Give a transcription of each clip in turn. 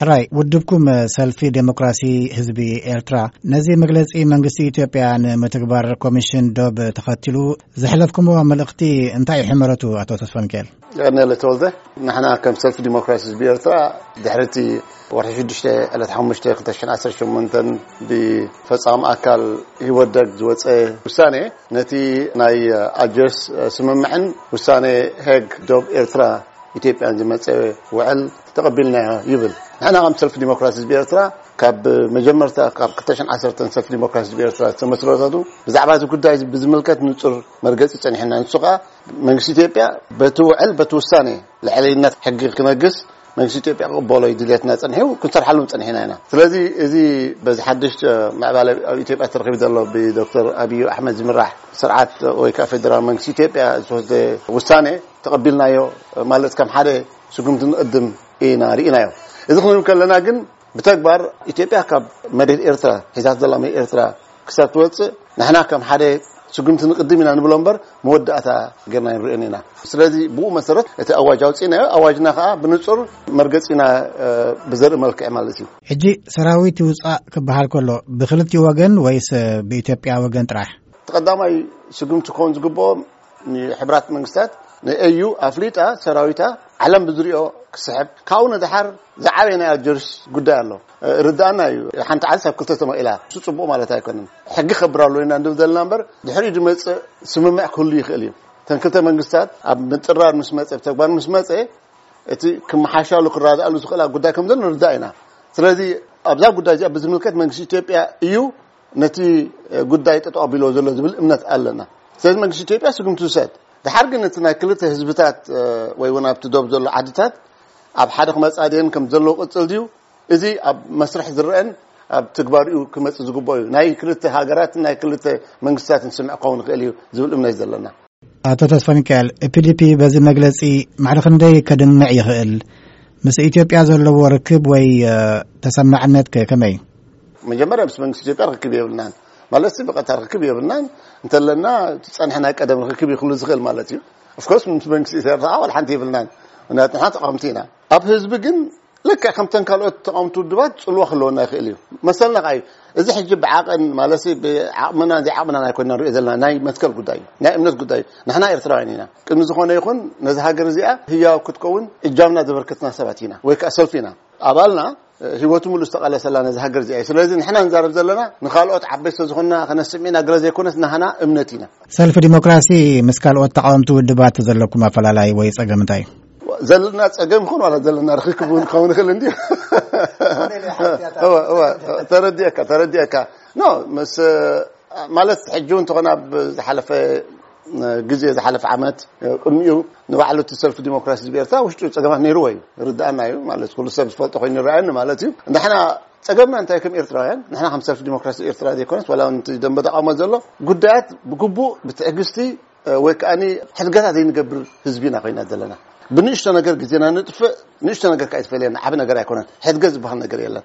ሕራይ ውድብኩም ሰልፊ ዴሞክራሲ ህዝቢ ኤርትራ ነዚ መግለጺ መንግስቲ ኢትዮጵያ ንምትግባር ኮሚሽን ዶብ ተኸቲሉ ዘሕለፍኩምዎ መልእኽቲ እንታይ እዩ ሕመረቱ? ኣቶ ተስፋ ሚካኤል። ቀነለ ተወልደ። ንሕና ከም ሰልፊ ዲሞክራሲ ህዝቢ ኤርትራ ድሕሪቲ ወርሒ ሽዱሽተ ዕለት ሓሙሽተ ክልተ ሽሕን ዓሰርተ ሸሞንተን ብፈጻሚ ኣካል ህወደግ ዝወፀ ውሳኔ ነቲ ናይ ኣጀርስ ስምምዕን ውሳኔ ሄግ ዶብ ኤርትራ ኢትዮጵያን ዝመፀ ውዕል ተቐቢልናዮ ይብል። ንሕና ከም ሰልፊ ዲሞክራሲ ህዝቢ ኤርትራ ካብ መጀመርታ ካብ ክልተ ሽሕን ዓሰርተን ሰልፊ ዲሞክራሲ ህዝቢ ኤርትራ ዝተመስረተቱ ብዛዕባ እዚ ጉዳይ ብዝምልከት ንጹር መርገጺ ጸኒሕና። ንሱ ከኣ መንግስቲ ኢትዮጵያ በቲ ውዕል በቲ ውሳኔ ልዕለይነት ሕጊ ክነግስ መንግስቲ ኢትዮጵያ ክቕበሎ እዩ ድልየትና ጸኒሑ፣ ክንሰርሓሉ ጸኒሕና ኢና። ስለዚ እዚ በዚ ሓድሽ ምዕባለ ኣብ ኢትዮጵያ ተረኺቡ ዘሎ ብዶክተር ኣብዩ ኣሕመድ ዝምራሕ ስርዓት ወይ ከዓ ፌደራል መንግስቲ ኢትዮጵያ ዝተወስደ ውሳኔ ተቐቢልናዮ ማለት ከም ሓደ ስጉምቲ ንቕድም ኢና ርኢናዮ። እዚ ክንብል ከለና ግን ብተግባር ኢትዮጵያ ካብ መሬት ኤርትራ ሒዛት ዘላ መሬት ኤርትራ ክሳብ ትወፅእ ንሕና ከም ሓደ ስጉምቲ ንቕድም ኢና ንብሎ እምበር መወዳእታ ጌርና ንርእዮን ኢና። ስለዚ ብኡ መሰረት እቲ ኣዋጅ ኣውፂእናዮ። ኣዋጅና ከዓ ብንፁር መርገፂና ብዘርኢ መልክዕ ማለት እዩ። ሕጂ ሰራዊት ይውፃእ ክበሃል ከሎ ብክልቲኡ ወገን ወይስ ብኢትዮጵያ ወገን ጥራሕ? እቲ ቀዳማይ ስጉምቲ ክኸውን ዝግብኦ ንሕብራት መንግስታት ንኤዩ ኣፍሊጣ ሰራዊታ ዓለም ብዝሪኦ ክስሕብ ካብኡ ንድሓር ዝዓበየ ናይ ኣልጀርስ ጉዳይ ኣሎ። ርዳእና እዩ። ሓንቲ ዓዲ ሳብ ክልተ ተመቂላ እሱ ፅቡቅ ማለት ኣይኮነን። ሕጊ ከብር ኣሎ ኢና እንድብ ዘለና እምበር ድሕሪኡ ዝመፅእ ስምምዕ ክህሉ ይኽእል እዩ። እተን ክልተ መንግስታት ኣብ ምጥራር ምስ መፀ ብተግባር ምስ መፀ እቲ ክመሓሻሉ ክረዳእሉ ዝኽእላ ጉዳይ ከም ዘሎ ንርዳእ ኢና። ስለዚ ኣብዛ ጉዳይ እዚኣ ብዝምልከት መንግስቲ ኢትዮጵያ እዩ ነቲ ጉዳይ ጠጠው ኣቢልዎ ዘሎ ዝብል እምነት ኣለና። ስለዚ መንግስቲ ኢትዮጵያ ስጉምቲ ይውሰድ። ድሓር ግን እቲ ናይ ክልተ ህዝብታት ወይ እውን ኣብቲ ዶብ ዘሎ ዓድታት ኣብ ሓደ ክመፃ ድየን ከም ዘለዎ ቅፅል ድዩ? እዚ ኣብ መስርሕ ዝረአን ኣብ ትግባሪኡ ክመፅእ ዝግብኦ እዩ። ናይ ክልተ ሃገራትን ናይ ክልተ መንግስታትን ስምዕ ክኸውን ይኽእል እዩ ዝብል እምነት እዩ ዘለና። ኣቶ ተስፋ ሚካኤል፣ ፒዲፒ በዚ መግለጺ ማዕረ ክንደይ ከድምዕ ይኽእል? ምስ ኢትዮጵያ ዘለዎ ርክብ ወይ ተሰማዕነት ከ ከመይ? መጀመርያ ምስ መንግስቲ ኢትዮጵያ ርክብ የብልናን። ማለት ብቐጥታ ርክብ የብልናን። እንተለና እቲ ጸንሐ ናይ ቀደም ርክብ ይኽሉ ዝኽእል ማለት እዩ። ኦፍኮርስ ምስ መንግስቲ ኢትዮጵያ ዋላ ሓንቲ የብልናን። ምክንያቱ ንሕና ተቃወምቲ ኢና። ኣብ ህዝቢ ግን ልክዕ ከምተን ካልኦት ተቃወምቲ ውድባት ጽልዋ ክህልወና ይኽእል እዩ። መሰልና ከኣ እዩ። እዚ ሕጂ ብዓቐን ማለት ብዓቕምና ዘይዓቕምና ኣይኮንና ንሪኦ ዘለና ናይ መትከል ጉዳይ እዩ። ናይ እምነት ጉዳይ እዩ። ንሕና ኤርትራውያን ኢና። ቅድሚ ዝኾነ ይኹን ነዚ ሃገር እዚኣ ህያው ክትከውን እጃምና ዘበርከትና ሰባት ኢና ወይ ከኣ ሰልፊ ኢና። ኣባልና ህይወቱ ሙሉ ዝተቓለሰላ ነዚ ሃገር እዚኣ እዩ። ስለዚ ንሕና ንዛረብ ዘለና ንኻልኦት ዓበይቲ ዝኾንና ከነስምዕ ኢና ገለ ዘይኮነስ ናህና እምነት ኢና። ሰልፊ ዲሞክራሲ ምስ ካልኦት ተቃወምቲ ውድባት ዘለኩም ኣፈላላይ ወይ ጸገም እንታይ እዩ? ዘለና ጸገም ይኹን ዋላ ዘለና ርክክብ እውን ክኸውን ይኽእል እንዲ ተረዲእካ ተረዲእካ ኖ ምስ ማለት ሕጂ እውን እንተኾነ ኣብ ዝሓለፈ ግዜ ዝሓለፈ ዓመት ቅድሚኡ ንባዕሉ እቲ ሰልፊ ዲሞክራሲ ህዝቢ ኤርትራ ውሽጡ ጸገማት ነይርዎ እዩ። ርዳእና እዩ ማለት ኩሉ ሰብ ዝፈልጦ ኮይኑ ይረኣየኒ ማለት እዩ። ንሕና ጸገምና እንታይ ከም ኤርትራውያን ንሕና ከም ሰልፊ ዲሞክራሲ ኤርትራ ዘይኮነስ ዋላ እውን እቲ ደንበ ተቃውሞ ዘሎ ጉዳያት ብግቡእ ብትዕግስቲ ወይ ከዓ ሕድገታት ዘይንገብር ህዝቢ ኢና ኮይና ዘለና። ብንእሽቶ ነገር ግዜና ንጥፍእ። ንእሽቶ ነገር ከዓ ይትፈልየና ዓብ ነገር ኣይኮነን። ሕድገ ዝበሃል ነገር የለን።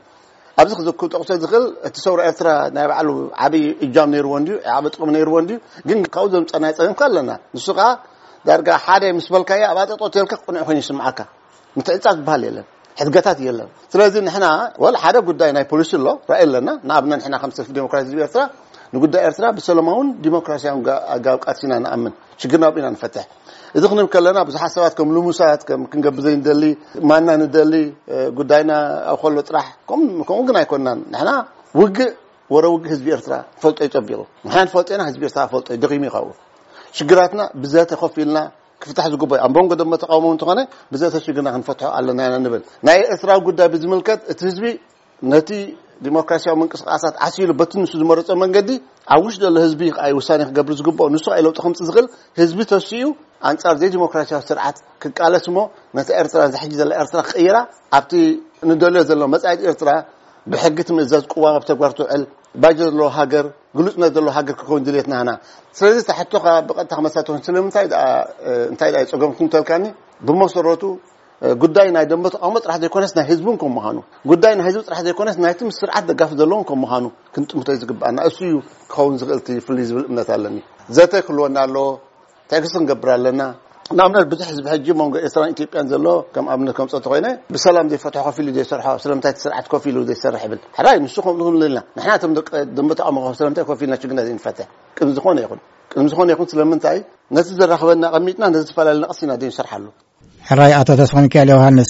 ኣብዚ ክዘክር ጠቕሶ ዝኽእል እቲ ሰውራ ኤርትራ ናይ ባዕሉ ዓብዪ እጃም ነይርዎ እንድዩ፣ ዓብ ጥቕሚ ነይርዎ እንድዩ። ግን ካብኡ ዘምፀናይ ፀገም ከ ኣለና። ንሱ ከዓ ዳርጋ ሓደ ምስ በልካዮ ኣብ ኣጠጦ ተልካ ቅኑዕ ኮይኑ ይስምዓካ። ምትዕፃ ዝበሃል የለን። ሕድገታት የለን። ስለዚ ንሕና ወል ሓደ ጉዳይ ናይ ፖሊሲ ኣሎ ራእይ ኣለና። ንኣብነት ንሕና ከም ሰልፊ ዴሞክራሲ ህዝቢ ኤርትራ ንጉዳይ ኤርትራ ብሰላማውን ዲሞክራሲያውን ኣጋብ ቃልሲና ንኣምን። ሽግርና ኣብኡ ኢና ንፈትሕ። እዚ ክንብል ከለና ብዙሓት ሰባት ከም ልሙሳት ከም ክንገብር ዘይንደሊ ማና ንደሊ ጉዳይና ኣብ ከሎ ጥራሕ ከምኡ ግን ኣይኮንናን። ንሕና ውግእ ወረ ውግእ ህዝቢ ኤርትራ ፈልጦ ይፀቢቑ። ንሕና ንፈልጦ ኢና። ህዝቢ ኤርትራ ፈልጦ ደኺሙ ይኸውን። ሽግራትና ብዘተ ኮፍ ኢልና ክፍታሕ ዝግባእ ኣብ መንጎ ደሞ ተቃውሞ እንተኾነ ብዘተ ሽግርና ክንፈትሖ ኣለና ኢና ንብል። ናይ ኤርትራዊ ጉዳይ ብዝምልከት እቲ ህዝቢ ነቲ ዲሞክራሲያዊ ምንቅስቃሳት ዓሲሉ በቲ ንሱ ዝመረጾ መንገዲ ኣብ ውሽጢ ዘሎ ህዝቢ ከኣ ውሳኔ ክገብር ዝግብኦ። ንሱ ከኣ ለውጢ ከምጽእ ዝኽእል ህዝቢ ተሲኡ ኣንጻር ዘይዲሞክራሲያዊ ስርዓት ክቃለስ እሞ ነቲ ኤርትራ ዝሕጂ ዘላ ኤርትራ ክቕይራ ኣብቲ ንደልዮ ዘሎ መጻኢት ኤርትራ ብሕጊ ትምእዘዝ ቅዋም ኣብ ተግባር ትውዕል ባጀት ዘለዎ ሃገር ግሉጽነት ዘለዎ ሃገር ክኸውን ድልየትና ኢና። ስለዚ እታ ሕቶኻ ብቐጥታ ክመልሳ ትኾን ስለምንታይ ደኣ እንታይ ደኣ ጸገምኩም ተልካኒ ብመሰረቱ ጉዳይ ናይ ደንበ ተቃውሞ ጥራሕ ዘይኮነስ ናይ ህዝቢ እውን ከም ምዃኑ ጉዳይ ናይ ህዝቢ ጥራሕ ዘይኮነስ ናይቲ ምስ ስርዓት ደጋፊ ዘለውን ከም ምዃኑ ክንጥምቶ እዩ ዝግባኣና። እሱ እዩ ክኸውን ዝኽእል እቲ ፍልይ ዝብል እምነት ኣለኒ። ዘተ ክህልወና ኣለዎ። ትዕግስቲ ክንገብር ኣለና። ንኣብነት ብዙሕ ህዝቢ ሕጂ መንጎ ኤርትራን ኢትዮጵያን ዘሎ ከም ኣብነት ከምፀ ተኮይነ ብሰላም ዘይፈትሖ ኮፍ ኢሉ ዘይሰርሖ ስለምንታይ እቲ ስርዓት ኮፍ ኢሉ ዘይሰርሕ ይብል። ሕራይ ንሱ ከምኡ ንብል ኢና። ንሕና እቶም ደቂ ደንበ ተቃውሞ ስለምንታይ ኮፍ ኢልና ችግርና ዘይንፈትሕ? ቅድሚ ዝኾነ ይኹን ቅድሚ ዝኾነ ይኹን ስለምንታይ ነቲ ዘራኽበና ኣቐሚጥና ነዚ ዝፈላለ ነቕሲ ኢና ዘይንሰርሓሉ? ሕራይ ኣቶ ተስፋ ሚካኤል ዮሃንስ፣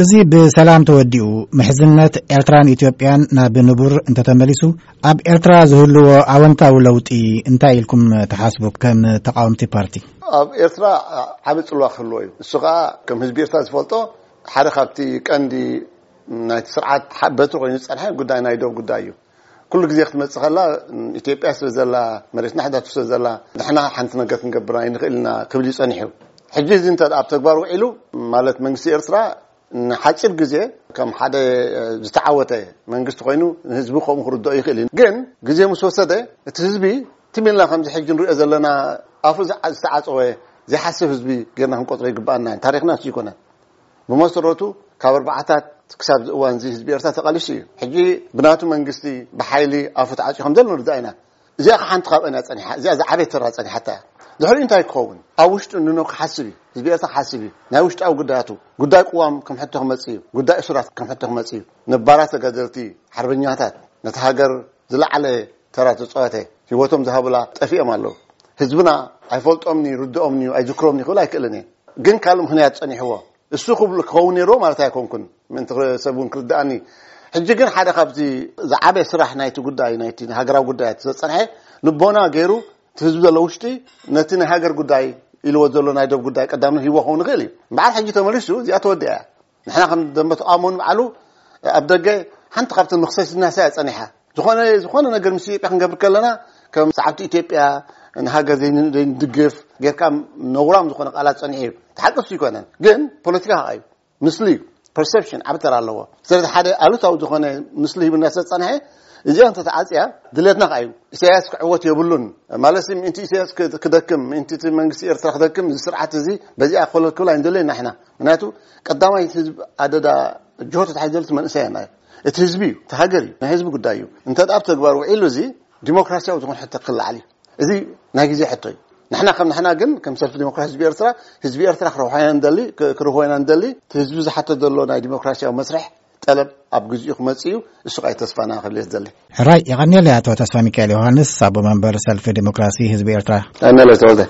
እዚ ብሰላም ተወዲኡ ምሕዝነት ኤርትራን ኢትዮጵያን ናብ ንቡር እንተተመሊሱ ኣብ ኤርትራ ዝህልዎ ኣወንታዊ ለውጢ እንታይ ኢልኩም ትሓስቡ ከም ተቃወምቲ ፓርቲ? ኣብ ኤርትራ ዓቢ ጽልዋ ክህልዎ እዩ። እሱ ከኣ ከም ህዝቢ ኤርትራ ዝፈልጦ ሓደ ካብቲ ቀንዲ ናይቲ ስርዓት በትሪ ኮይኑ ዝጸንሐ ጉዳይ ናይ ዶብ ጉዳይ እዩ። ኩሉ ግዜ ክትመጽእ ከላ ኢትዮጵያ ስለ ዘላ፣ መሬትና ሕዳቱ ስለ ዘላ ንሕና ሓንቲ ነገር ክንገብር ኣይንኽእል ኢና ክብል እዩ ጸኒሑ። ሕጂ እዚ እንተ ኣብ ተግባር ውዒሉ ማለት መንግስቲ ኤርትራ ንሓጺር ግዜ ከም ሓደ ዝተዓወተ መንግስቲ ኮይኑ ንህዝቢ ከምኡ ክርድኦ ይኽእል እዩ። ግን ግዜ ምስ ወሰደ እቲ ህዝቢ ትም ኢልና ከምዚ ሕጂ ንሪኦ ዘለና ኣፉ ዝዓ- ዝተዓጸወ ዘይሓስብ ህዝቢ ጌርና ክንቆጽሮ ይግብኣና። ታሪኽና እሱ ይኮነን። ብመሰረቱ ካብ ኣርባዓታት ክሳብ እዚ እዋን እዚ ህዝቢ ኤርትራ ተቓሊሱ እዩ። ሕጂ ብናቱ መንግስቲ ብሓይሊ ኣፉ ተዓጽዩ ከም ዘሎ ንርዳእ ኢና። እዚኣ ሓንቲ ካብአን እያ ጸኒሓ። እዚኣ ዝዓበየ ተራ ጸኒሓታ እያ። ድሕሪኡ እንታይ ክኸውን? ኣብ ውሽጡ ንኖ ክሓስብ እዩ። ህዝቢ ኤርትራ ክሓስብ እዩ። ናይ ውሽጣዊ ጉዳያቱ፣ ጉዳይ ቅዋም ከም ሕቶ ክመጽእ እዩ። ጉዳይ እሱራት ከም ሕቶ ክመጽእ እዩ። ነባራት ተጋደልቲ፣ ሓርበኛታት፣ ነቲ ሃገር ዝለዓለ ተራ ተጻወተ፣ ህይወቶም ዝሃቡላ ጠፊኦም ኣለዉ። ህዝብና ኣይፈልጦምኒ፣ ይርድኦምኒ፣ ኣይዝክሮምኒ ክብል ኣይክእልን እየ። ግን ካልእ ምኽንያት ጸኒሕዎ። እሱ ክብሉ ክኸውን ነይርዎ ማለት ኣይኮንኩን። ምእንቲ ክረ- ሰብ እውን ክርድኣኒ። ሕጂ ግን ሓደ ካብዚ ዝዓበየ ስራሕ ናይቲ ጉዳይ፣ ናይቲ ሃገራዊ ጉዳያት ዘጸንሐ ልቦና ገይሩ እቲ ህዝቢ ዘሎ ውሽጢ ነቲ ናይ ሃገር ጉዳይ ኢልዎ ዘሎ ናይ ዶብ ጉዳይ ቀዳምነት ሂቦ ክኸውን ይኽእል እዩ። እምበኣር ሕጂ ተመሊሱ እዚኣ ተወዲኣ እያ። ንሕና ከም ደንበ ተቃውሞ ንባዕሉ ኣብ ደገ ሓንቲ ካብተን መኽሰሲትና እያ ጸኒሓ። ዝኾነ ዝኾነ ነገር ምስ ኢትዮጵያ ክንገብር ከለና ከም ሰዓብቲ ኢትዮጵያ ንሃገር ዘይን- ዘይንድግፍ ጌርካ ነውራም ዝኾነ ቃላት ጸኒሑ እዩ። ተሓቅሱ ይኮነን ግን ፖለቲካ ከኣ እዩ። ምስሊ እዩ። ፐርሰፕሽን ዓቢ ተራ ኣለዎ። ስለዚ ሓደ ኣሉታዊ ዝኾነ ምስሊ ሂብና ስለ ዝጸንሐ እዚኣ እንተተዓጽያ ድሌትና ከኣ እዩ። ኢሳያስ ክዕወት የብሉን ማለት ምእንቲ ኢሳያስ ክደክም ምእንቲ እቲ መንግስቲ ኤርትራ ክደክም እዚ ስርዓት እዚ በዚኣ ኮለል ክብል ኣይንደለየና ኢና። ምክንያቱ ቀዳማይ ህዝብ ኣደዳ ጅሆ ተታሒዘሉ እቲ መንእሰይ ኣና እዩ። እቲ ህዝቢ እዩ፣ እቲ ሃገር እዩ፣ ናይ ህዝቢ ጉዳይ እዩ። እንተ ኣብ ተግባር ውዒሉ እዚ ዲሞክራሲያዊ ዝኾነ ሕቶ ክለዓል እዩ። እዚ ናይ ግዜ ሕቶ እዩ። ንሕና ከም ንሕና ግን ከም ሰልፊ ዲሞክራሲ ህዝቢ ኤርትራ ህዝቢ ኤርትራ ክረብሖ ኢና ንደሊ፣ ክ- ክረብሖ ኢና ንደሊ። እቲ ህዝቢ ዝሓቶ ዘሎ ናይ ዲሞክራሲያዊ መስርሕ ጠለብ ኣብ ግዜኡ ክመጽእ እዩ። እሱ ቃይ ተስፋና ክብል እየ ዝደሊ። ሕራይ የቐንየለይ ኣቶ ተስፋ ሚካኤል ዮሃንስ ኣቦ መንበር ሰልፊ ዲሞክራሲ ህዝቢ ኤርትራ። ቀንየለይ ተወልደ።